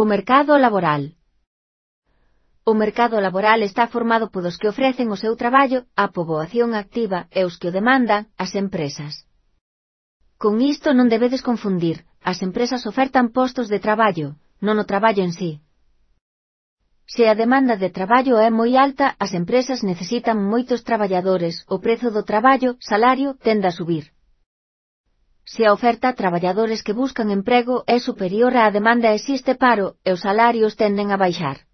O mercado laboral. O mercado laboral está formado polos que ofrecen o seu traballo á poboación activa e os que o demandan, as empresas. Con isto non debedes confundir, as empresas ofertan postos de traballo, non o traballo en sí. Se a demanda de traballo é moi alta, as empresas necesitan moitos traballadores, o prezo do traballo, salario, tende a subir. Se a oferta a traballadores que buscan emprego é superior á demanda existe paro, e os salarios tenden a baixar.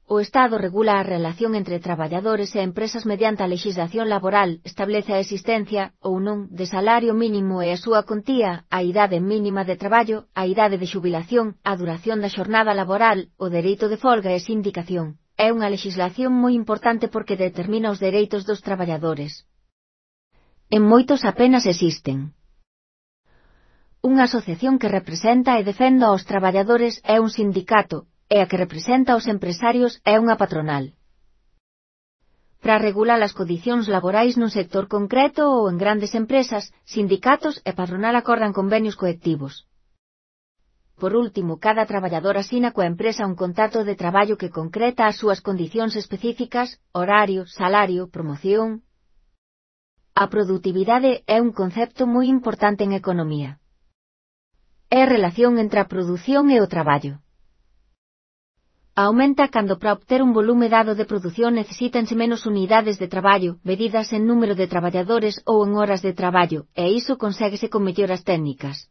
O Estado regula a relación entre traballadores e empresas mediante a lexislación laboral, establece a existencia, ou non, de salario mínimo e a súa contía, a idade mínima de traballo, a idade de xubilación, a duración da xornada laboral, o dereito de folga e sindicación. É unha lexislación moi importante porque determina os dereitos dos traballadores. En moitos apenas existen. Unha asociación que representa e defenda aos traballadores é un sindicato, e a que representa aos empresarios é unha patronal. Para regular as condicións laborais nun sector concreto ou en grandes empresas, sindicatos e patronal acordan convenios colectivos. Por último, cada traballador asina coa empresa un contrato de traballo que concreta as súas condicións específicas, horario, salario, promoción. A produtividade é un concepto moi importante en economía. É a relación entre a produción e o traballo. Aumenta cando para obter un volume dado de produción necesítanse menos unidades de traballo, medidas en número de traballadores ou en horas de traballo, e iso conséguese con melloras técnicas.